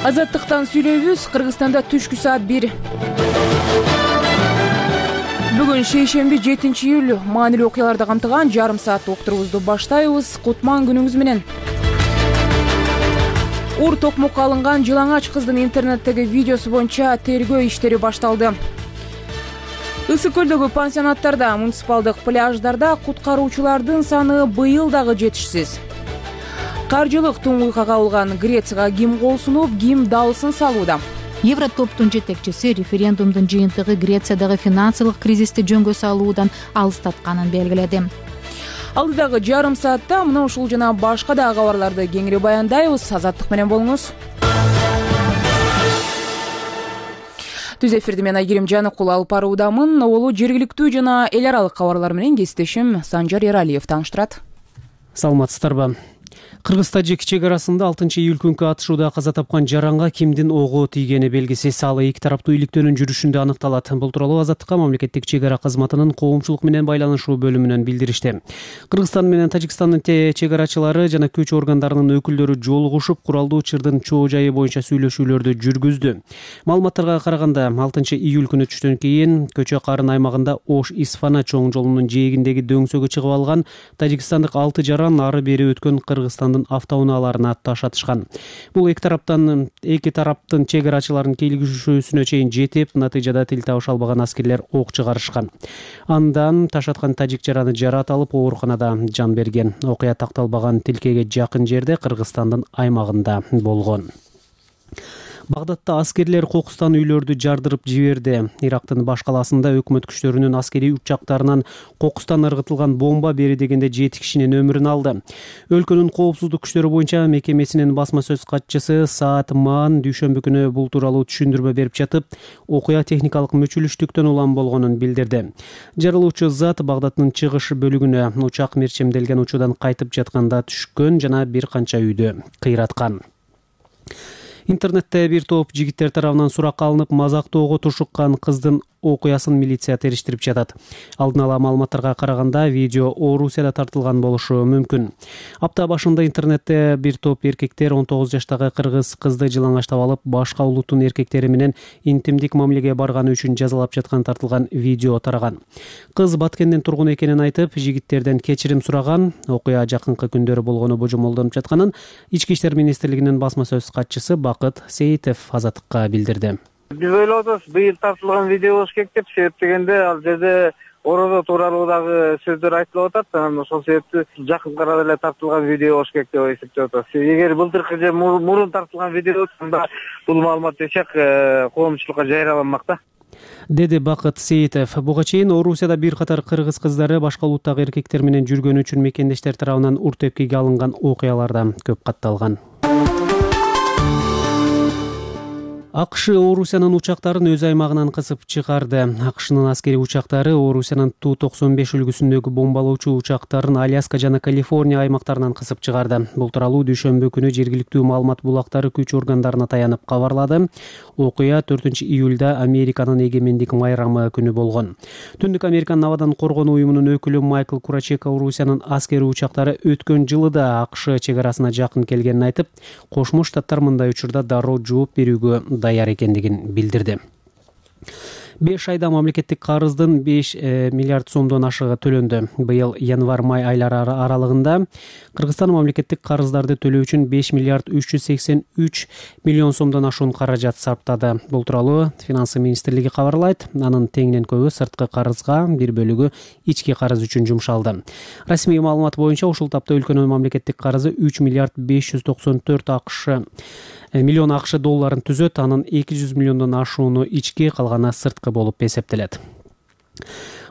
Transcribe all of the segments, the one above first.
Азаттыктан сүйлөйбүз. Кыргызстанда түшкү саат 1. Бүгүн шейшемби 7 июль маанилүү окуяларды камтыган жарым сааттык уктурубузду баштайбыз. Кутман күнүңүз менен. Ур токмокко алынган жылаңач кыздын интернеттеги видеосу боюнча тергөө иштери башталды. Ысык көлдөгү пансионаттарда, муниципалдык пляждарда куткаруучулардын саны быйыл дагы жетишсиз. Каржылык туңгуйга кабылган Грецияга ким кол сунуп, ким дабылсын салууда. Евротоптун жетекчиси референдумдун жыйынтыгы Грециядагы финансылык кризисти жөнгө салуудан алыстатканын белгиледи. Алдыдагы жарым саатта мына ушул жана башка да кабарларды кеңири баяндайбыз. Азаттык менен болуңуз. Түз эфирди мен Айгерим Жаныкул алып баруудамын. Олу жергиликтүү жана эл аралык кабарлар менен кесиптешим Санжар Эралиев тааныштырат. Саламатсыздарбы? Кыргыз-Тажик чек арасында 6 июль күнкү атышууда каза тапкан жаранга кимдин ого тийгени белгисиз. Ал эки тараптуу иликтөөнүн жүрүшүндө аныкталат. Бул тууралуу Азаттыкка мамлекеттик чек ара кызматынын коомчулук менен байланышуу бөлүмүнөн билдиришти. Кыргызстан менен Тажикстандын чек арачылары жана күч органдарынын өкүлдөрү жолугушуп, куралдуу чырдын чоо жайы боюнча сүйлөшүүлөрдү жүргүздү. Маалыматтарга караганда 6 июль күнү түштөн кийин Көчө Карын аймагында Ош-Исфана чоң жолунун жээгиндеги дөңсөгө чыгып алган тажикстандык 6 жаран ары бери өткөн Кыргызстандын автоунааларына таш атышкан. Бул эки тараптын чек арачыларынын келишүүсүнө чейин жетип, натыйжада тил табыша албаган аскерлер ок чыгарышкан. Андан таш аткан тажик жараны жарат алып, ооруканада жан берген. Окуя такталбаган тилкеге жакын жерде, Кыргызстандын аймагында болгон. Багдадта аскерлер кокустан үйлөрдү жардырып жиберди. Ирактын баш калаасында өкмөт күчтөрүнүн аскерий учактарынан кокустан ыргытылган бомба бери дегенде 7 кишинин өмүрүн алды. Өлкөнүн коопсуздук күчтөрү боюнча мекемесинин басма сөз катчысы Саат Маан дүйшөмбү күнү бул тууралуу түшүндүрмө берип жатып, окуя техникалык мүчүлүштүктөн улам болгонун билдирди. Жарылуучу зат Багдадтын чыгыш бөлүгүнө учак мерчемделген учуудан кайтып жатканда түшкөн жана бир канча үйдү кыйраткан. Интернетте бир топ жигиттер тарабынан суракка алынып, мазактоого тушуккан кыздын окуясын милиция териштирип жатат. Алдын ала маалыматтарга караганда видео Орусияда тартылган болушу мүмкүн. Апта башында интернетте бир топ эркектер 19 жаштагы кыргыз кызды жылаңачтап алып, башка улуттун эркектери менен интимдик мамилеге барганы үчүн жазалап жаткан тартылган видео тараган. Кыз Баткендин тургуну экенин айтып, жигиттерден кечирим сураган. Окуя жакынкы күндөрү болгону божомолдонуп жатканын Ички иштер министрлигинин басма сөз катчысы Бакыт Сейитов Азаттыкка билдирди. Биз ойлоп атабыз, быйыл тартылган видео болуш керек деп, себеп дегенде ал жерде орозо тууралуудагы сөздөр айтылып атат. Анан ошол себептүү жакын арада эле тартылган видео болуш керек деп эсептеп атабыз. Эгер былтыркы же мурун тартылган видео болсо, бул маалымат эчек коомчулукка жайраланмак да, деди Бакыт Сейитов. Буга чейин Орусияда бир катар кыргыз кыздары башка улуттагы эркектер менен жүргөнү үчүн мекендештер тарабынан ур тепкиге алынган окуяларда көп катталган. АКШ Орусиянын учактарын өз аймагынан кысып чыгарды. АКШнын аскерий учактары Орусиянын Ту-95 үлгүсүндөгү бомбалоочу учактарын Аляска жана Калифорния аймактарынан кысып чыгарды. Бул тууралуу дүйшөмбү күнү жергиликтүү маалымат булактары күч органдарына таянып кабарлады. Окуя 4 июлда Американын эгемендик майрамы күнү болгон. Түндүк Американын абадан коргонуу уюмунун өкүлү Майкл Курачека Орусиянын аскерий учактары өткөн жылы да АКШ чек арасына жакын келгенин айтып, Кошмо Штаттар мындай учурда дароо жооп берүүгө даяр экендигин билдирди. 5 айда мамлекеттик карыздын 5 миллиард сомдон ашыгы төлөндү. Быйыл январь-май айлары аралыгында Кыргызстан мамлекеттик карыздарды төлөө үчүн 5 миллиард 383 миллион сомдон ашуун каражат сарптады. Бул тууралуу Финансы министрлиги кабарлайт. Анын теңинен көбү сырткы карызга, бир бөлүгү ички карыз үчүн жумшалды. Расмий маалымат боюнча ушул тапта өлкөнүн мамлекеттик карызы 3 миллиард 594 миллион АКШ долларын түзөт. Анын 200 миллиондон ашууну ички, калганы сырткы болуп эсептелет.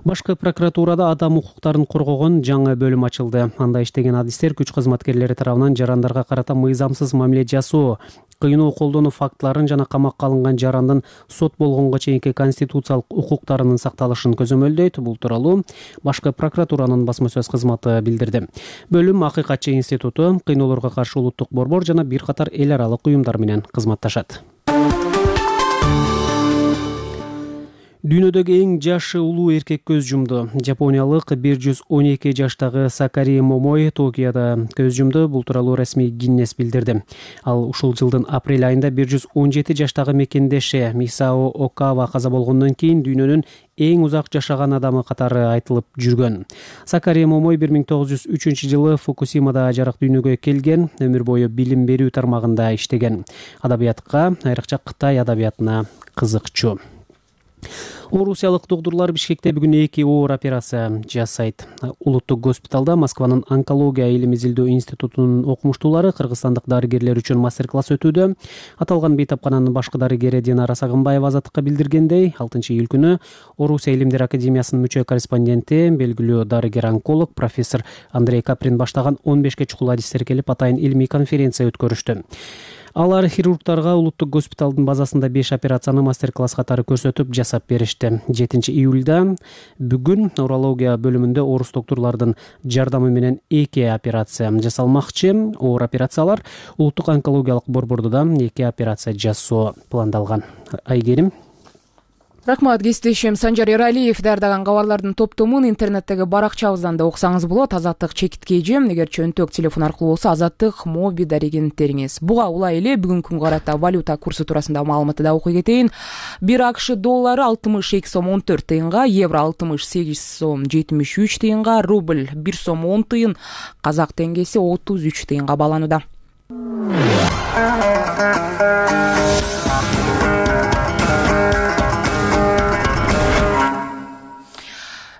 Башкы прокуратурада адам укуктарын коргогон жаңы бөлүм ачылды. Анда иштеген адистер күч кызматкерлери тарабынан жарандарга карата мыйзамсыз мамиле жасоо, кыйноо колдонуу фактларын жана камакка алынган жарандын сот болгонго чейинки конституциялык укуктарынын сакталышын көзөмөлдөйт. Бул тууралуу Башкы прокуратуранын басма сөз кызматы билдирди. Бөлүм Акыйкатчы институту, кыйноолорго каршы улуттук борбор жана бир катар эл аралык уюмдар менен кызматташат. Дүйнөдөгү эң жашы улуу эркек көз жумду. Жапониялык 112 жаштагы Сакари Момой Токиодо көз жумду. Бул тууралуу расмий Гиннес билдирди. Ал ушул жылдын апрель айында 117 жаштагы мекендеши Мисао Окава каза болгондон кийин дүйнөнүн эң узак жашаган адамы катары айтылып жүргөн. Сакари Момой 1903 жылы Фукусимада жарык дүйнөгө келген, өмүр бою билим берүү тармагында иштеген. Адабиятка, айрыкча Кытай адабиятына кызыкчу. Орусиялык доктурлар Бишкекте бүгүн 2 оор операция жасайт. Улуттук госпиталда Москванын онкология илим изилдөө институтунун окумуштуулары кыргызстандык дарыгерлер үчүн мастер-класс өтүүдө. Аталган бейтапкананын башкы дарыгери Динара Сагынбаева Азаттыкка билдиргендей, 6-июль күнү Орусия илимдер академиясынын мүчө корреспонденти, белгилүү дарыгер-онколог профессор Андрей Каприн баштаган 15 чукул адистер келип атайын илимий конференция өткөрүштү. Алар хирургтарга улуттук госпиталдын базасында 5 операцияны мастер-класс катары көрсөтүп жасап беришти. 7-июлда бүгүн урология бөлүмүндө орус доктурлардын жардамы менен 2 операция жасалмакчы. Оор операциялар улуттук онкологиялык борбордо да 2 операция жасоо пландалган. Айгерим. Рахмат, кесиптешим Санжар Эралиев даярдаган кабарлардын топтомун интернеттеги баракчабыздан да окусаңыз болот. Азаттык чекитке эжем, эгер чөнтөк телефон аркылуу болсо Азаттык моби дарегенттериңиз. Буга улай эле бүгүнкү күнгө карата валюта курсу туурасында маалыматты да окуй кетейин. 1 АКШ доллары 62 сом 14 тыйынга, евро 68 сом 73 тыйынга, рубль 1 сом 10 тыйын, казак теңгеси 33 тыйынга бааланууда.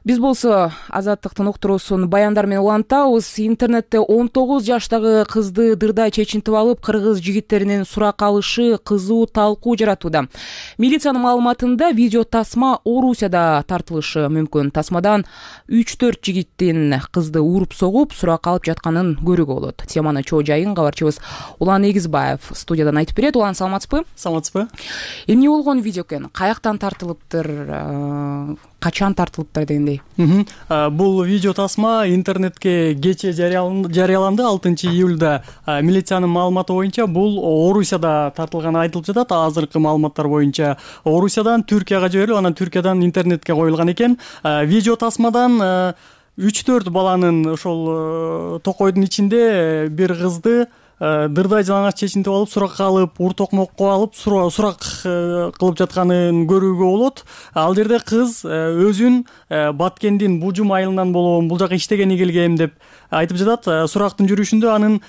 Биз болсо Азаттыктын уктуруусун баяндар менен улантабыз. Интернетте 19 жаштагы кызды дырдай чечинтип алып, кыргыз жигиттеринин сурак алышы кызуу талкуу жаратууда. Милициянын маалыматында видео тасма Орусияда тартылышы мүмкүн. Тасмадан 3-4 жигиттин кызды уруп согуп, сурак алып жатканын көрүүгө болот. Теманы чоо жайын кабарчыбыз Улан Эгизбаев студиядан айтып берет. Улан, саламатсызбы? Саламатсызбы? Эмне болгон видео экен? Каяктан тартылыптыр? Качан тартылыптыр дегендей? Бул видео тасма интернетке кечээ жарыяланды. 6-июлда милициянын маалыматы боюнча бул Орусияда тартылганы айтылып жатат. Азыркы маалыматтар боюнча Орусиядан Түркияга жиберилип, анан Түркиядан интернетке коюлган экен. Видео тасмадан 3-4 баланын ошол токойдун ичинде бир кызды дырдай жалаңач чечинтип алып, сурак алып, ур токмокко алып, сурак кылып жатканын көрүүгө болот. Ал жерде кыз өзүн Баткендин Бужум айылынан болгон, бул жака иштегени келгем деп айтып жатат. Сурактын жүрүшүндө анын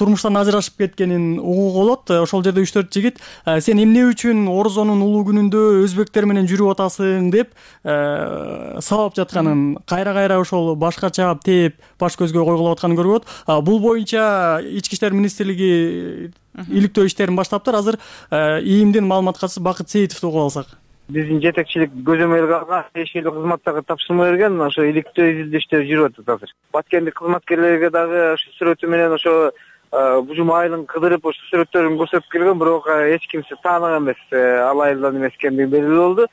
турмуштан ажырашып кеткенин угууга болот. Ошол жерде 3-4 жигит сен эмне үчүн Орозонун улуу күнүндө өзбектер менен жүрүп атасың деп сабап жатканын, кайра ошол башка чаап тээп баш көзгө койгулап атканын көрүп болот. Бул боюнча Ички иштер министрлиги иликтөө иштерин баштаптыр. Азыр ИИМдин маалымат катчысы Бакыт Сейитовду угуп алсак. Биздин жетекчилик көзөмөлгө алган тиешелүү кызматтарга тапшырма берген, ошо иликтөө изилдөө иштери жүрүп атат азыр. Баткендик кызматкерлерге дагы ошо сүрөтү менен ошо Бужум айылын кыдырып ошо сүрөттөрүн көрсөтүп келген, бирок эч кимси тааныган эмес, ал айылдан эмес экендиги белгилүү болду.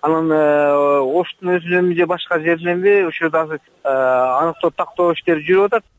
Анан Оштун өзүнөнбү же башка жерденби ушурда азыр аныктоо тактоо иштери жүрүп атат.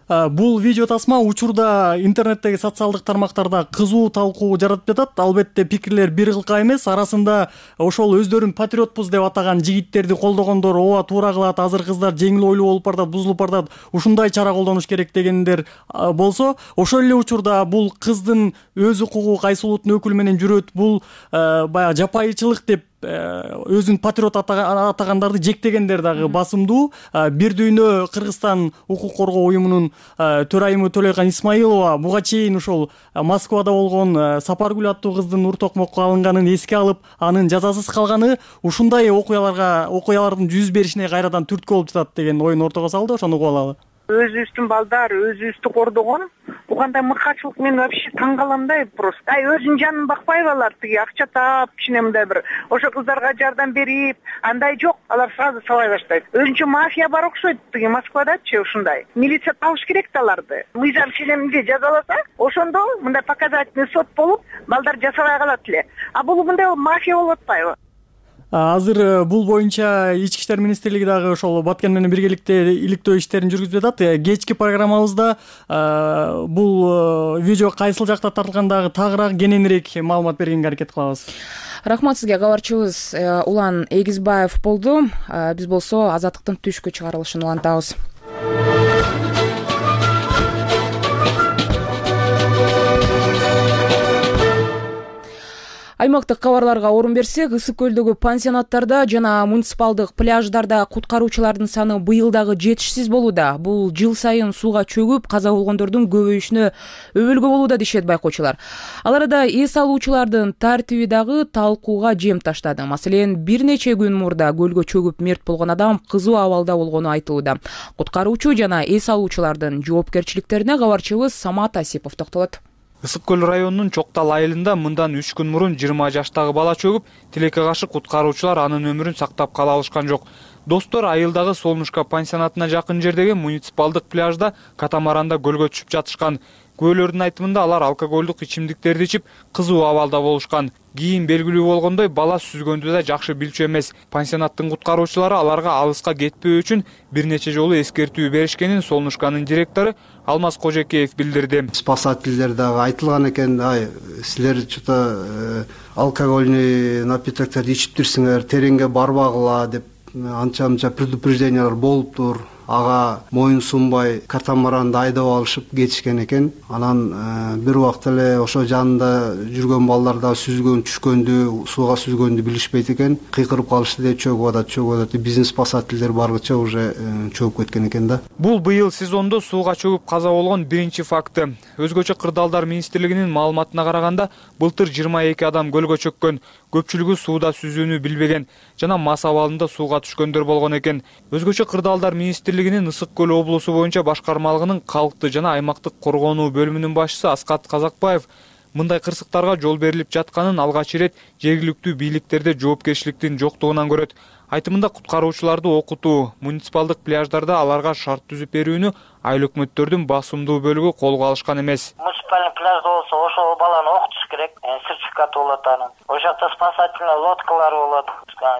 Бул видео тасма учурда интернеттеги социалдык тармактарда кызуу талкуу жаратып жатат. Албетте пикирлер бир кылка эмес. Арасында ошол өздөрүн патриотпуз деп атаган жигиттерди колдогондор ооба туура кылат, азыр кыздар жеңил ойлуу болуп бардат, бузулуп бардат, ушундай чара колдонуш керек дегендер болсо, ошол эле учурда бул кыздын өз укугу кайсы улуттун өкүлү менен жүрөт, бул баягы жапайычылык деп өзүн патриот атагандарды жектегендер дагы басымдуу. Бир дүйнө Кыргызстан укук коргоо уюмунун төрайымы Төлөйкан Исмаилова буга чейин ушол Москвада болгон Сапаргүл аттуу кыздын ур токмокко алынганын эске алып, анын жазасыз калганы ушундай окуялардын жүз беришине кайрадан түрткү болуп жатат деген оюн ортого салды. Ошону угуп алалы. Өзүбүздүн балдар өзүбүздү кордогон, бул кандай мыкачылык, мен вообще таң калам да просто. Өзүнүн жанын бакпайбы алар, тиги акча таап, кичине мындай бир ошо кыздарга жардам берип, андай жок, алар сразу сабай баштайт. Өзүнчө мафия бар окшойт, тиги Москвадачы ушундай. Милиция табыш керек да аларды. Мыйзам ченеминде жазаласа, ошондо мындай показательный сот болуп, балдар жасабай калат эле. А бул мындай мафия болуп атпайбы? Азыр бул боюнча Ички иштер министрлиги дагы ошол Баткен менен биргеликте иликтөө иштерин жүргүзүп жатат. Кечки программабызда бул видео кайсыл жакта тартылган дагы тагыраак кененирээк маалымат бергенге аракет кылабыз. Рахмат сизге. Кабарчыбыз Улан Эгизбаев болду. Биз болсо Азаттыктын түшкү чыгарылышын улантабыз. Аймактык кабарларга орун берсек, Ысык көлдөгү пансионаттарда жана муниципалдык пляждарда куткаруучулардын саны быйыл дагы жетишсиз болууда. Бул жыл сайын сууга чөгүп, каза болгондордун көбөйүшүнө өбөлгө болууда дешет байкоочулар. Ал арада эс алуучулардын тартиби дагы талкууга жем таштады. Маселен, бир нече күн мурда көлгө чөгүп мерт болгон адам кызуу абалда болгону айтылууда. Куткаруучу жана эс алуучулардын жоопкерчиликтерине кабарчыбыз Самат Асипов токтолот. Ысык көл районунун Чоктал айылында мындан 3 күн мурун 20 жаштагы бала чөгүп, тилекке каршы куткаруучулар анын өмүрүн сактап кала алышкан жок. Достор айылдагы Солнышко пансионатына жакын жердеги муниципалдык пляжда катамаранда көлгө түшүп жатышкан. Күбөлөрдүн айтымында алар алкоголдук ичимдиктерди ичип, кызуу абалда болушкан. Кийин белгилүү болгондой, бала сүзгөндү да жакшы билчү эмес. Пансионаттын куткаруучулары аларга алыска кетпөө үчүн бир нече жолу эскертүү беришкенин Солнышконун директору Алмаз Кожекеев билдирди. Спасательдер дагы айтылган экен, силер что-то алкогольный напитокторду ичиптирсиңер, тереңге барбагыла деп анча-мынча предупреждениялар болуптур. Ага моюн сунбай катамаранды айдап алышып кетишкен экен. Анан бир убакыт эле ошо жанында жүргөн балдар да сүзгөн, түшкөндү, сууга сүзгөндү билишпейт экен. Кыйкырып калышты деп чөгүп атат. Биздин спасательдер баргыча уже чөгүп кеткен экен да. Бул быйыл сезондо сууга чөгүп каза болгон биринчи факты. Өзгөчө Кырдаалдар министрлигинин маалыматына караганда, былтыр 22 адам көлгө чөккөн. Көпчүлүгү сууда сүзүүнү билбеген жана мас абалында сууга түшкөндөр болгон экен. Өзгөчө Кырдаалдар министрлигинин Ысык көл облусу боюнча башкармалыгынын калкты жана аймактык коргонуу бөлүмүнүн башчысы Аскат Казакбаев мындай кырсыктарга жол берилип жатканын алгач ирет жергиликтүү бийликтерде жоопкерчиликтин жоктугунан көрөт. Айтымында куткаруучуларды окутуу, муниципалдык пляждарда аларга шарт түзүп берүүнү айыл өкмөттөрдүн басымдуу бөлүгү колго алышкан эмес. Муниципальный пляжда болсо ошол баланы окутуш керек, сертификаты болот анын. Ошол жакта спасательный лодкалар болот,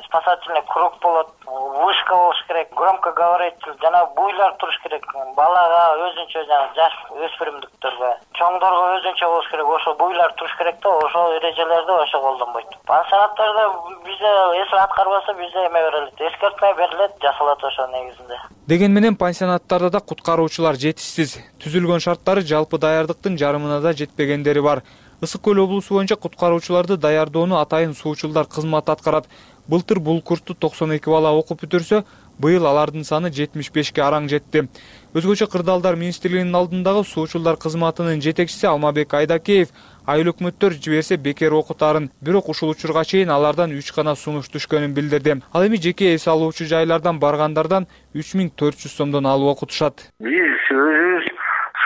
спасательный круг болот, вышка болуш керек, громкоговоритель жана буйлар туруш керек. Балага өзүнчө жана жаш өспүрүмдүктөргө, чоңдорго өзүнчө болуш керек. Ошол буйлар туруш керек да, ошол эрежелерди ошо колдонбойт. Пансионаттарда бизде эс аткарбаса бизде эме берилет, эскертме берилет, жасалат ошо негизинде. Деген менен пансионаттарда да куткаруучулар жетишсиз. Түзүлгөн шарттары жалпы даярдыктын жарымына да жетпегендери бар. Ысык көл облусу боюнча куткаруучуларды даярдоону атайын суучулдар кызматы аткарат. Былтыр бул курсту 92 бала окуп бүтүрсө, быйыл алардын саны 75ке араң жетти. Өзгөчө Кырдаалдар министрлигинин алдындагы суучулдар кызматынын жетекчиси Алмабек Айдакеев айыл өкмөттөр жиберсе бекер окутарын, бирок ушул учурга чейин алардан 3 гана сунуш түшкөнүн билдирди. Ал эми жеке эс алуучу жайлардан баргандардан 3400 сомдон алып окутушат. Биз өзүбүз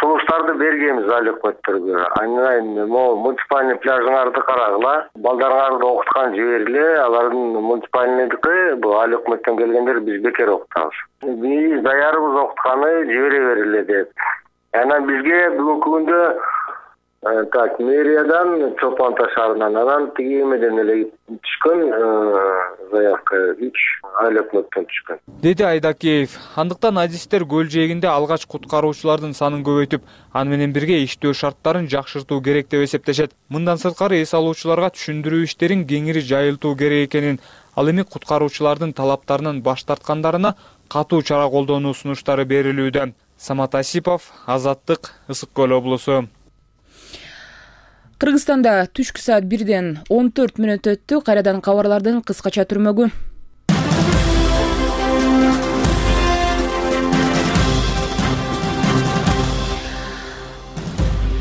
сунуштарды бергенбиз айыл өкмөттөргө. Айнайын муниципальный пляжыңарды карагыла, балдарыңарды окуткан жибергиле, алардын муниципальныйдыкы бул айыл өкмөттөн келгендер биз бекер окутабыз. Биз даярбыз окутканы жибере бергиле деп. Анан бизге бүгүнкү күндө мэриядан Чолпон Ата шаарынан анан тиги эмеден эле түшкөн заявка 3 айыл өкмөттөн түшкөн, деди Айдакеев. Андыктан адистер көл жээгинде алгач куткаруучулардын санын көбөйтүп, аны менен бирге иштөө шарттарын жакшыртуу керек деп эсептешет. Мындан сырткары эс алуучуларга түшүндүрүү иштерин кеңири жайылтуу керек экенин, ал эми куткаруучулардын талаптарынан баш тарткандарына катуу чара колдонуу сунуштары берилүүдө. Самат Асипов, Азаттык, Ысык көл облусу. Кыргызстанда түшкү саат 1-ден 14 мүнөт өттү. Кайрадан кабарлардын кыскача түрмөгү.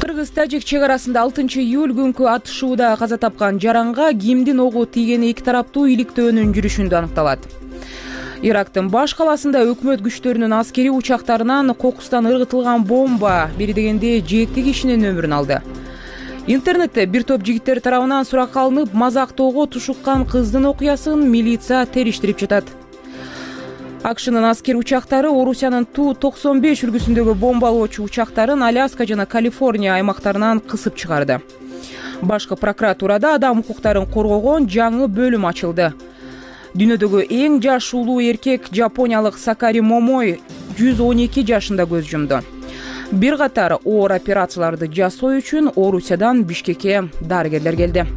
Кыргыз-Тажик чек арасында 6-июль күнкү атышууда каза тапкан жаранга кимдин огу тийгени эки тараптуу иликтөөнүн жүрүшүндө аныкталат. Ирактын баш каласында өкмөт күчтөрүнүн аскери учактарынан кокустан ыргытылган бомба бери дегенде 7 кишинин өмүрүн алды. Интернетте бир топ жигиттер тарабынан суракка алынып, мазактоого тушуккан кыздын окуясын милиция териштирип жатат. АКШнын аскер учактары Орусиянын Ту-95 үлгүсүндөгү бомбалоочу учактарын Аляска жана Калифорния аймактарынан кысып чыгарды. Башкы прокуратурада адам укуктарын коргогон жаңы бөлүм ачылды. Дүйнөдөгү эң жаш улуу эркек жапониялык Сакари Момой 112 жашында көз жумду. Бир катар оор операцияларды жасоо үчүн Орусиядан Бишкекке дарыгерлер келди.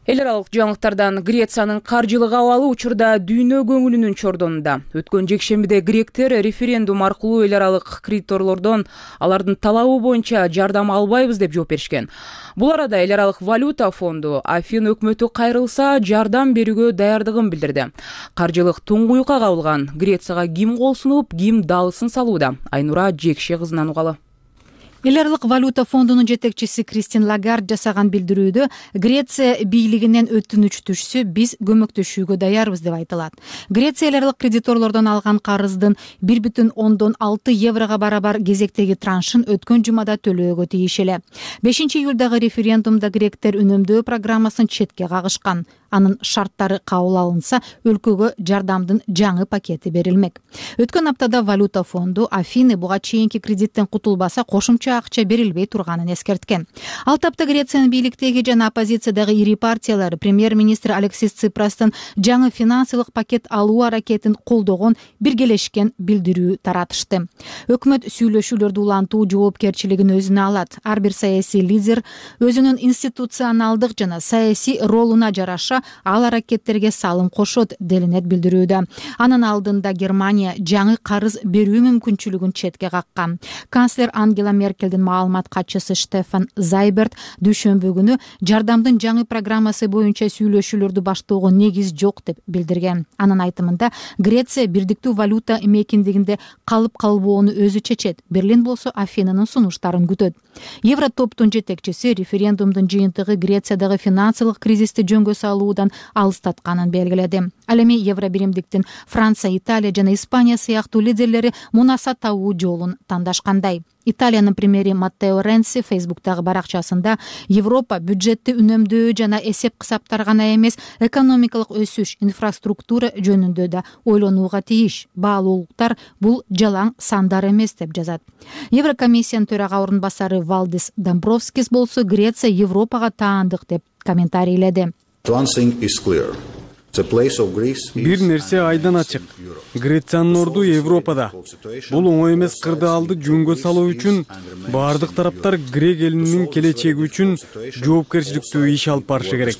Эл аралык жаңылыктардан Грециянын каржылык абалы учурда дүйнө көңүлүнүн чордонунда. Өткөн жекшембиде гректер референдум аркылуу эл аралык кредиторлордон алардын талабы боюнча жардам албайбыз деп жооп беришкен. Бул арада эл аралык валюта фонду Афин өкмөтү кайрылса жардам берүүгө даярдыгын билдирди. Каржылык туңгуюкка кабылган Грецияга ким кол сунуп, ким далысын салууда? Айнура Жекше кызынан угалы. Эл аралык валюта фондунун жетекчиси Кристин Лагард жасаган билдирүүдө Греция бийлигинен өтүнүч түшсө биз көмөктөшүүгө даярбыз деп айтылат. Греция эл аралык кредиторлордон алган карыздын 1,6 еврого барабар кезектеги траншын өткөн жумада төлөөгө тийиш эле. 5-июлдагы референдумда гректер үнөмдөө программасын четке кагышкан. Анын шарттары кабыл алынса, өлкөгө жардамдын жаңы пакети берилмек. Өткөн аптада валюта фонду Афины буга чейинки кредиттен кутулбаса кошумча акча берилбей турганын эскерткен. Ал тапта Грециянын бийликтеги жана оппозициядагы ири партиялар премьер-министр Алексис Ципрастын жаңы финансылык пакет алуу аракетин колдогон биргелешкен билдирүү таратышты. Өкмөт сүйлөшүүлөрдү улантуу жоопкерчилигин өзүнө алат. Ар бир саясий лидер өзүнүн институционалдык жана саясий ролуна жараша ал аракеттерге салым кошот делинет билдирүүдө. Анын алдында Германия жаңы карыз берүү мүмкүнчүлүгүн четке каккан. Канцлер Ангела Меркелдин маалымат катчысы Штефан Зайберт дүйшөмбү күнү жардамдын жаңы программасы боюнча сүйлөшүүлөрдү баштоого негиз жок деп билдирген. Анын айтымында Греция бирдиктүү валюта мекендигинде калып калбоону өзү чечет. Берлин болсо Афинанын сунуштарын күтөт. Евротоптун жетекчиси референдумдун жыйынтыгы Грециядагы финансылык кризисти жөнгө салуудан алыстатканын белгиледи. Ал эми евробиримдиктин Франция, Италия жана Испания сыяктуу лидерлери мунаса табуу жолун тандашкандай. Италиянын премьери Маттео Ренци Фейсбуктагы баракчасында Европа бюджетти үнөмдөө жана эсеп кысаптар гана эмес, экономикалык өсүш, инфраструктура жөнүндө да ойлонууга тийиш. Баалуулуктар бул жалаң сандар эмес деп жазат. Еврокомиссиянын төрага орун басары Валдис Домбровскис болсо Греция Европага таандык деп комментарийледи. Бир нерсе айдан ачык. Грециянын орду Европада. Бул оңой эмес кырдаалды жөнгө салуу үчүн баардык тараптар грек элинин келечеги үчүн жоопкерчиликтүү иш алып барышы керек.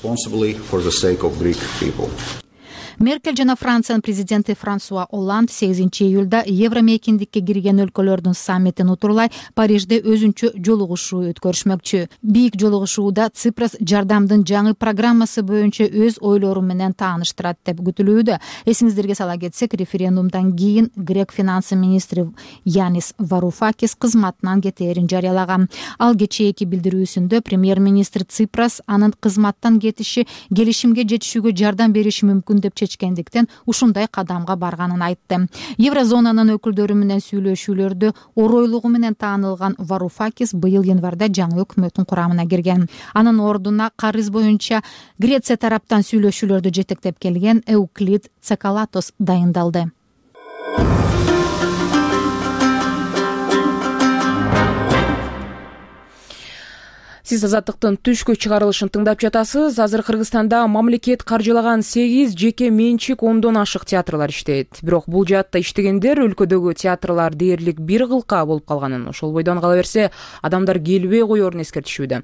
Меркель жана Франциянын президенти Франсуа Олланд 8-июлда евро мекендикке кирген өлкөлөрдүн саммитин утурлай Парижде өзүнчө жолугушуу өткөрүшмөкчү. Бийик жолугушууда Ципрас жардамдын жаңы программасы боюнча өз ойлору менен тааныштырат деп күтүлүүдө. Эсиңиздерге сала кетсек, референдумдан кийин грек финансы министри Янис Варуфакис кызматынан кетээрин жарыялаган. Ал кечээки билдирүүсүндө премьер-министр Ципрас анын кызматтан кетиши келишимге жетишүүгө жардам бериши мүмкүн деп чечкендиктен ушундай кадамга барганын айтты. Еврозонанын өкүлдөрү менен сүйлөшүүлөрдө оройлугу менен таанылган Варуфакис быйыл январда жаңы өкмөттүн курамына кирген. Анын ордуна карыз боюнча Греция тараптан сүйлөшүүлөрдү жетектеп келген Эуклид Цекалатос дайындалды. Сиз Азаттыктын түшкү чыгарылышын тыңдап жатасыз. Азыр Кыргызстанда мамлекет каржылаган 8 жеке менчик 10дон ашык театрлар иштейт. Бирок бул жаатта иштегендер өлкөдөгү театрлар дээрлик бир кылка болуп калганын, ошол бойдон кала берсе адамдар келбей коерун эскертишүүдө.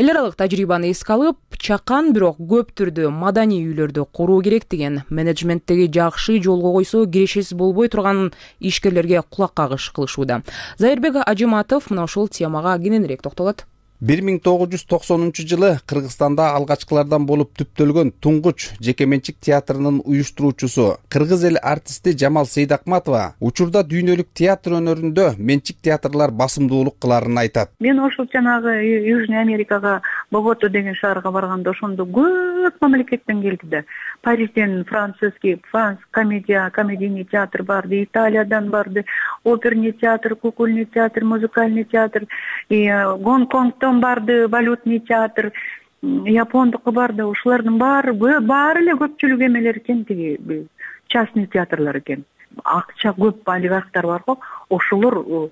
Эл аралык тажрыйбаны эске алып, чакан бирок көп түрдө маданий үйлөрдү куруу керек деген менеджменттеги жакшы жолго койсо кирешеси болбой турган ишкерлерге кулак кагыш кылышууда. Зайырбек Ажыматов мына ошол темага кененирээк токтолот. 1990-жылы Кыргызстанда алгачкылардан болуп түптөлгөн Туңгуч жеке менчик театрынын уюштуруучусу кыргыз эл артисти Жамал Сейдакматова учурда дүйнөлүк театр өнөрүндө менчик театрлар басымдуулук кыларын айтат. Мен ошол жанагы Южный Америкага, Богота деген шаарга барганда ошондо көп мамлекеттен келди да. Парижден французский, комедийный театр барды, Италиядан барды, оперный театр, кукольный театр, музыкальный театр, Гонконгдон барды, валютный театр, Япондуку барды. Ушулардын баары эле көпчүлүк эмелер экен, тиги частный театрлар экен. Акча көп олигархтар бар го, ошолор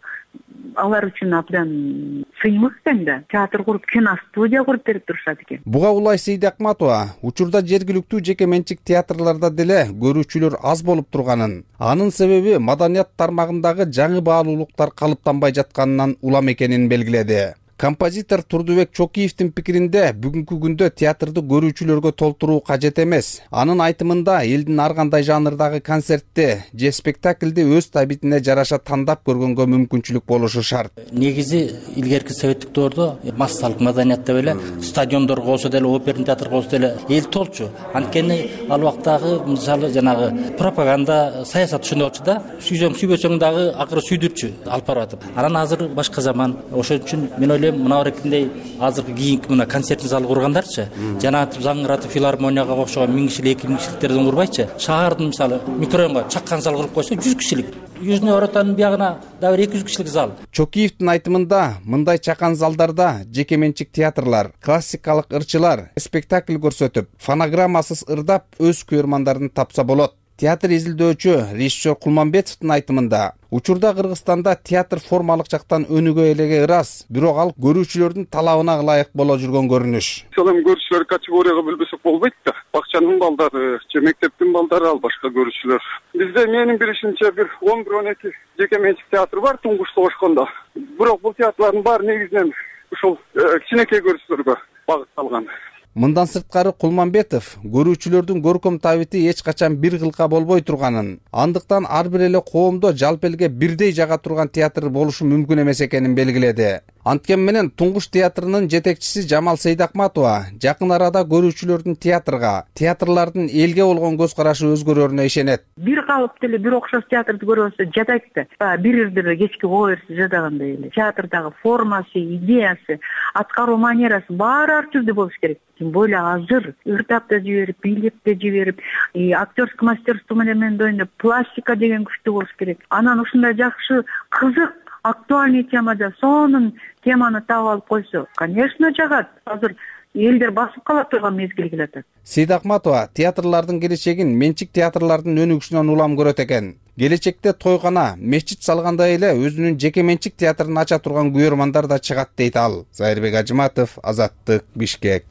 алар үчүн абдан сыймык экен да. Театр куруп, киностудия куруп берип турушат экен. Буга Улай Сейдакматова учурда жергиликтүү жеке менчик театрларда деле көрүүчүлөр аз болуп турганын, анын себеби маданият тармагындагы жаңы баалуулуктар калыптанбай жатканынан улам экенин белгиледи. Композитор Турдубек Чокиевдин пикиринде бүгүнкү күндө театрды көрүүчүлөргө толтуруу кажет эмес. Анын айтымында элдин ар кандай жанрдагы концертти же спектакльди өз табитине жараша тандап көргөнгө мүмкүнчүлүк болушу шарт. Негизи илгерки советтик доордо массалык маданиятта эле стадиондорго болсо деле, оперный театрга болсо деле эл толчу. Анткени ал убактагы мисалы жанагы пропаганда, саясат ушундай болчу да. Сүйсөң сүйбөсөң дагы акыры сүйдүрчү алып баратып. Анан азыр башка заман. Ошон үчүн мен ойлойм, мына эркиндей азыркы кийинки мына концертный зал кургандарчы, жанагы заңгыратып филармонияга окшогон 1000 кишилик, 2000 кишиликтерден курбайчы, шаардын мисалы микрорайонго чаккан зал куруп койсо 100 кишилик, Южный Оротанын биягына дагы 200 кишилик зал. Чокиевдин айтымында мындай чакан залдарда жеке менчик театрлар, классикалык ырчылар спектакль көрсөтүп, фонограммасыз ырдап өз көрөрмандарын тапса болот. Театр изилдөөчү режиссер Кулманбетовдун айтымында учурда Кыргызстанда театр формалык жактан өнүгө элеге ырас, бирок ал көрүүчүлөрдүн талабына ылайык боло жүргөн көрүнүш. Эми көрүүчүлөр категорияга бөлбөсөк болбойт да. Бакчанын балдары же мектептин балдары ал башка көрүүчүлөр. Бизде менин билишимче бир 11-12 жеке менчик театр бар туңгуч согушкондо. Бирок бул театрлардын баары негизинен ушул кичинекей көрүүчүлөргө багытталган. Мындан сырткары Кулманбетов көрүүчүлөрдүн көркөм табити эч качан бир кылка болбой турганын, андыктан ар бир эле коомдо жалпы элге бирдей жага турган театр болушу мүмкүн эмес экенин белгиледи. Анткени менен Туңгуч театрынын жетекчиси Жамал Сейдакматова жакын арада көрүүчүлөрдүн театрга, театрлардын элге болгон көз карашы өзгөрөрүнө ишенет. Бир калыптуу эле бир окшош театрды көрөбөз жатат да. Бир ирдир кечки коо берсе жатагандай эле. Театрдагы формасы, идеясы, аткаруу манерасы баары ар түрдүү болуш керек. Тем более азыр ырдап да жиберип, бийлеп да жиберип, актерский мастерство менен ойноп, пластика деген күчтүү болуш керек. Анан ушундай жакшы, кызык, актуальный темада сонун теманы таап алып койсо, конечно, жагат. Азыр элдер басып кала турган мезгил келатат. Сейдакматова театрлардын келечегин менчик театрлардын өнүгүшүнөн улам көрөт экен. Келечекте тойгана, мечит салгандай эле өзүнүн жеке менчик театрын ача турган көрөрмандар да чыгат дейт ал. Зайырбек Ажыматов, Азаттык, Бишкек.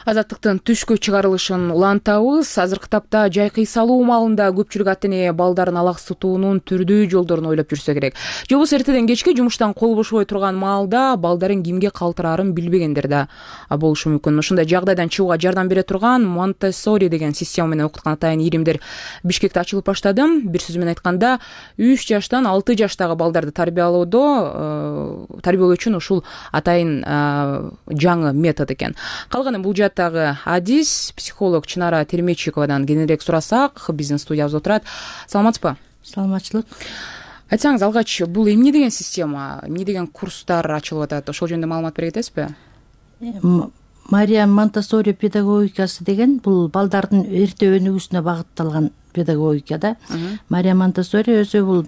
Азаттыктын түшкү чыгарылышын улантабыз. Азыркы тапта жай кыйсалуу маалында көпчүлүк ата эне балдарын алаксытуунун түрдүү жолдорун ойлоп жүрсө керек. Же болбосо эртеден кечке жумуштан кол бошобой турган маалда балдарын кимге калтырарын билбегендер да болушу мүмкүн. Ушундай жагдайдан чыгууга жардам бере турган Монтессори деген система менен окуткан атайын иримдер Бишкекте ачылып баштады. Бир сөз менен айтканда 3 жаштан 6 жаштагы балдарды тарбиялоо үчүн ушул атайын жаңы метод экен. Калганы бул адис психолог Чынара Термечиковадан кененирээк сурасак, биздин студиябызда отурат. Саламатсызбы? Саламатчылык. Айтсаңыз алгач, бул эмне деген система, эмне деген курстар ачылып атат? Ошол жөнүндө маалымат бере кетесизби? Мария Монтессори педагогикасы деген бул балдардын эрте өнүгүүсүнө багытталган педагогика да. Мария Монтессори өзү бул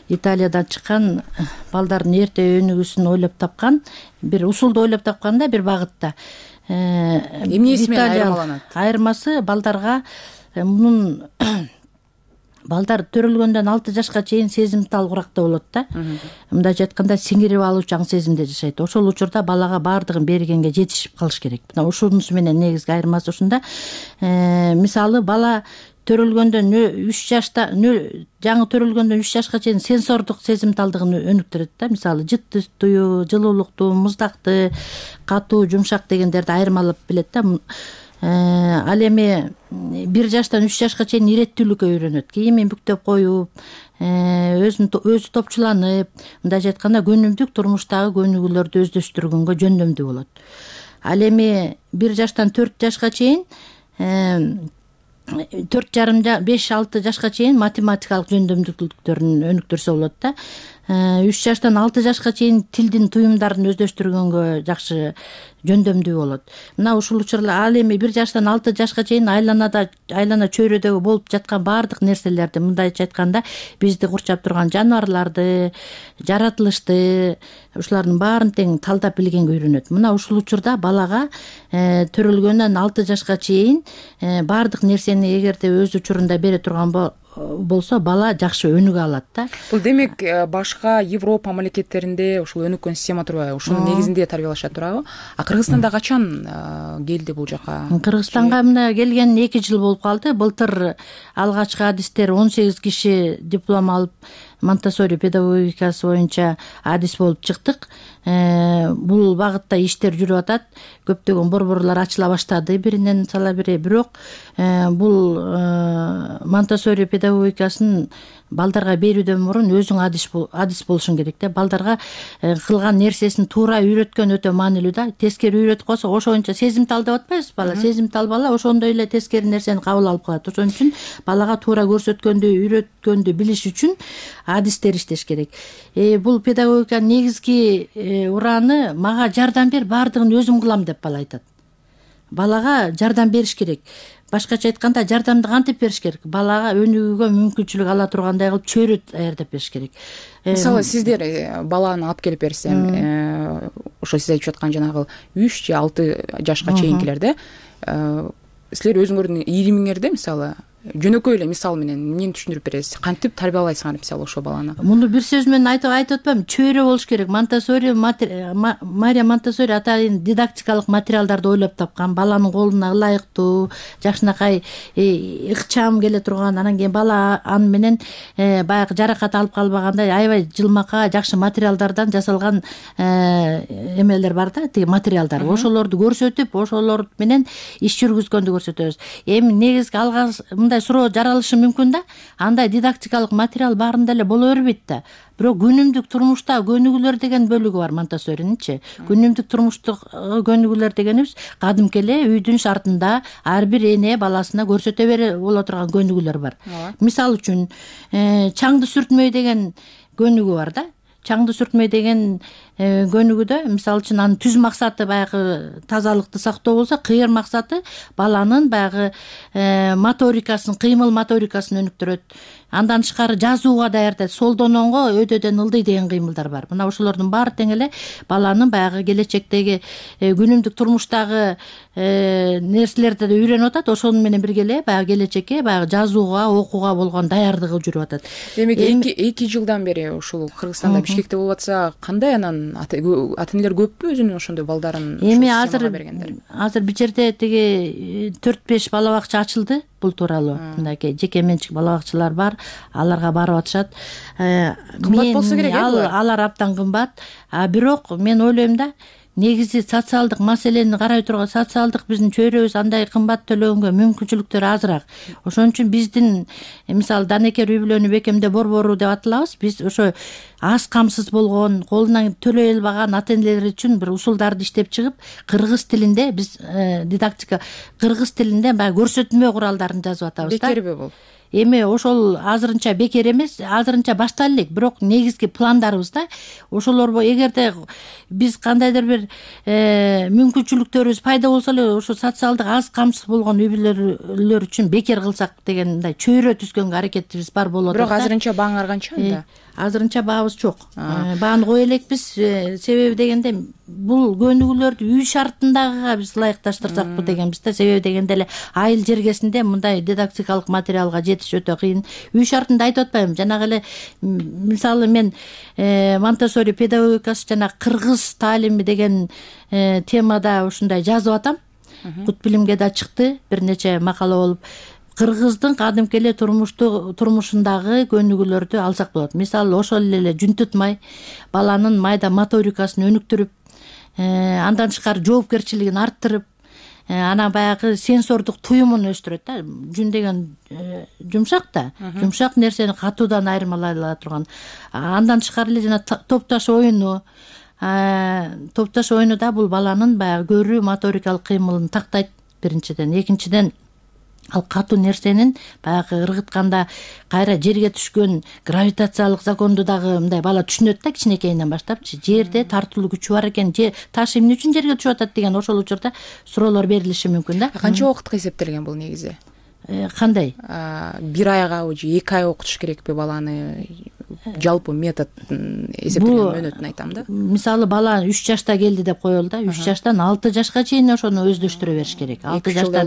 Италиядан чыккан, балдардын эрте өнүгүүсүн ойлоп тапкан, бир усулду ойлоп тапкан да, бир багытта. Эмнеси менен айырмаланат? Айырмасы балдарга мунун балдар төрөлгөндөн 6 жашка чейин сезимталгыракта болот да. Мындайча айтканда сиңирип алуучан сезимде жашайт. Ошол учурда балага баардыгын бергенге жетишип калыш керек. Мына ушунусу менен негизги айырмасы ушунда. Мисалы бала төрөлгөндөн 3 жашта, жаңы төрөлгөндөн 3 жашка чейин сенсордук сезимталдыгын өнүктүрөт да. Мисалы жыттуу, жылуулукту, муздакты, катуу, жумшак дегендерди айырмалап билет да. Ал эми 1 жаштан 3 жашка чейин иреттүүлүккө үйрөнөт. Кийимин бүктөп коюп, өзү топчуланып, мындайча айтканда күнүмдүк турмуштагы көнүгүүлөрдү өздөштүргөнгө жөндөмдүү болот. Ал эми 1 жаштан 4 жашка чейин 4,5-6 жашка чейин математикалык жөндөмдүүлүктөрүн өнүктүрсө болот да. 3 жаштан 6 жашка чейин тилдин туюмдарын өздөштүргөнгө жакшы жөндөмдүү болот. Мына ушул учурда ал эми 1 жаштан 6 жашка чейин айлана чөйрөдөгү болуп жаткан баардык нерселерди, мындайча айтканда бизди курчап турган жаныбарларды, жаратылышты, ушулардын баарын тең талдап билгенге үйрөнөт. Мына ушул учурда балага төрөлгөндөн 6 жашка чейин баардык нерсени эгерде өз учурунда бере турган болсо бала жакшы өнүгө алат да. Бул демек башка Европа мамлекеттеринде ушул өнүккөн система турбайбы? Ушунун негизинде тарбиялашат турабы? А Кыргызстанда качан келди бул жака? Кыргызстанга мына келген 2 жыл болуп калды. Былтыр алгачкы адистер 18 киши диплом алып Монтессори педагогикасы боюнча адис болуп чыктык. Бул багытта иштер жүрүп атат. Көптөгөн борборлор ачыла баштады биринен сала бири. Бирок бул Монтессори педагогикасын балдарга берүүдөн мурун өзүң адис болушуң керек да. Балдарга кылган нерсесин туура үйрөткөн өтө маанилүү да. Тескери үйрөтүп койсо ошончо сезимтал деп атпайбыз бала. Сезимтал бала ошондой эле тескери нерсени кабыл алып калат. Ошон үчүн балага туура көрсөткөндү, үйрөткөндү билиш үчүн адистер иштеш керек. Бул педагогиканын негизги ураны мага жардам бер, баардыгын өзүм кылам деп бала айтат. Балага жардам бериш керек. Башкача айтканда жардамды кантип бериш керек? Балага өнүгүүгө мүмкүнчүлүк ала тургандай кылып чөйрө даярдап бериш керек. Мисалы сиздер баланы алып келип берсем, ошо сиз айтып аткан жанагы 3 же 6 жашка чейинкилерде силер өзүңөрдүн ийримиңерде мисалы жөнөкөй эле мисал менен эмнени түшүндүрүп бересиз? Кантип тарбиялайсыңар мисалы ошо баланы? Муну бир сөз менен айтып атпайм, чөйрө болуш керек. Монтессори Мария Монтессори атайын дидактикалык материалдарды ойлоп тапкан. Баланын колуна ылайыктуу, жакшынакай ыкчам келе турган, анан кийин бала аны менен баягы жаракат алып калбагандай аябай жылмакка жакшы материалдардан жасалган эмелер бар да, тиги материалдар. Ошолорду көрсөтүп, ошолор менен иш жүргүзгөндү көрсөтөбүз. Эми негизги алгачкы суроо жаралышы мүмкүн да. Андай дидактикалык материал баарында эле боло бербейт да. Бирок күнүмдүк турмушта көнүгүүлөр деген бөлүгү бар Монтессорининчи. Күнүмдүк турмуштук көнүгүүлөр дегенибиз кадимки эле үйдүн шартында ар бир эне баласына көрсөтө бере боло турган көнүгүүлөр бар. Мисалы үчүн чаңды сүртмөй деген көнүгүү бар да. Чаңды сүртмөй деген көнүгүүдө мисалы үчүн анын түз максаты баягы тазалыкты сактоо болсо, кыйыр максаты баланын баягы моторикасын, кыймыл моторикасын өнүктүрөт. Андан тышкары жазууга даярдайт. Солдон оңго, өйдөдөн ылдый деген кыймылдар бар. Мына ошолордун баары тең эле баланын баягы келечектеги күнүмдүк турмуштагы нерселерди да үйрөнүп атат. Ошону менен бирге эле баягы келечекке баягы жазууга, окууга болгон даярдыгы жүрүп атат. Демек 2 жылдан бери ушул Кыргызстанда Бишкекте болуп атса, кандай анан ата-энелер көппү өзүнүн ошондой балдарын? Эми азыр бир жерде тиги 4-5 бала бакча ачылды бул тууралуу. Мындай жеке менчик бала бакчалар бар, аларга барып атышат. Кымбат болсо керек э? Алар абдан кымбат. Бирок мен ойлойм да, негизи социалдык маселени карай турган социалдык биздин чөйрөбүз андай кымбат төлөгөнгө мүмкүнчүлүктөр азыраак. Ошон үчүн биздин мисалы Данекер үй бүлөнү бекемдөө борбору деп аталабыз. Биз ошо аз камсыз болгон, колунан төлөй албаган ата-энелер үчүн бир усулдарды иштеп чыгып, кыргыз тилинде биз дидактика кыргыз тилинде баягы көрсөтмө куралдарын жазып атабыз да. Бекерби бул? Эми ошол азырынча бекер эмес, азырынча баштала элек, бирок негизги пландарыбыз да. Ошолор эгерде биз кандайдыр бир мүмкүнчүлүктөрүбүз пайда болсо эле ошо социалдык аз камсыз болгон үй бүлөлөр үчүн бекер кылсак деген мындай чөйрө түзгөнгө аракетибиз бар болот. Бирок азырынча бааңар канча анда? Азырынча баабыз жок. Бааны кое элекпиз. Себеби дегенде бул көнүгүүлөрдү үй шартындагыга биз ылайыкташтырсакпы дегенбиз да. Себеби дегенде эле айыл жергесинде мындай дидактикалык материалга жетиш өтө кыйын. Үй шартында айтып атпайм. Жанагы эле мисалы мен Монтессори педагогикасы жана кыргыз таалими деген темада ушундай жазып атам. Кут билимге да чыкты, бир нече макала болуп. Кыргыздын кадимки эле турмушундагы көнүгүүлөрдү алсак болот. Мисалы ошол эле жүн тутмай, баланын майда моторикасын өнүктүрүп, андан тышкары жоопкерчилигин арттырып, анан баягы сенсордук туюмун өстүрөт да. Жүн деген жумшак да. Жумшак нерсени катуудан айырмалай ала турган. Андан тышкары эле жана топтош ойуну, топтош оюнуда бул баланын баягы көрүү моторикалык кыймылын тактайт биринчиден. Экинчиден ал катуу нерсенин баягы ыргытканда кайра жерге түшкөн гравитациялык законду дагы мындай бала түшүнөт да кичинекейинен баштапчы. Жерде тартылуу күчү бар экен, таш эмне үчүн жерге түшүп атат деген ошол учурда суроолор берилиши мүмкүн да. Канча убакытка эсептелген бул негизи? Кандай? 1 айга же 2 ай окутуш керекпи баланы? жалпы метод эсептелген мөөнөтүн айтам да. Мисалы бала 3 жашта келди деп коелу да, 3 жаштан 6 жашка чейин ошону өздөштүрө бериш керек. 6 жашта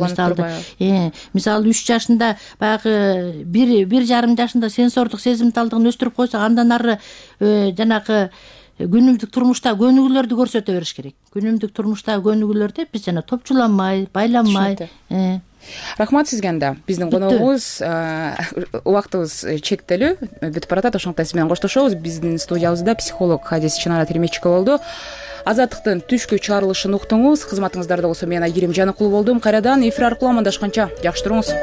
мисалы 3 жашында баягы 1,5 жашында сенсордук сезимталдыгын өстүрүп койсок, андан ары жанагы күнүмдүк турмушта көнүгүүлөрдү көрсөтө бериш керек. Күнүмдүк турмуштагы көнүгүүлөрдү биз жана топчуланмай, байланмай. Рахмат сизге. Анда биздин коногубуз убактыбыз чектелүү бүтүп баратат, ошондуктан сиз менен коштошобуз. Биздин студиябызда психолог Хадис Чынара Термечикова болду. Азаттыктын түшкү чыгарылышын уктуңуз. Кызматыңыздарда болсо мен Айгерим Жаныкулу болдум. Кайрадан эфир аркылуу амандашканча жакшы туруңуз.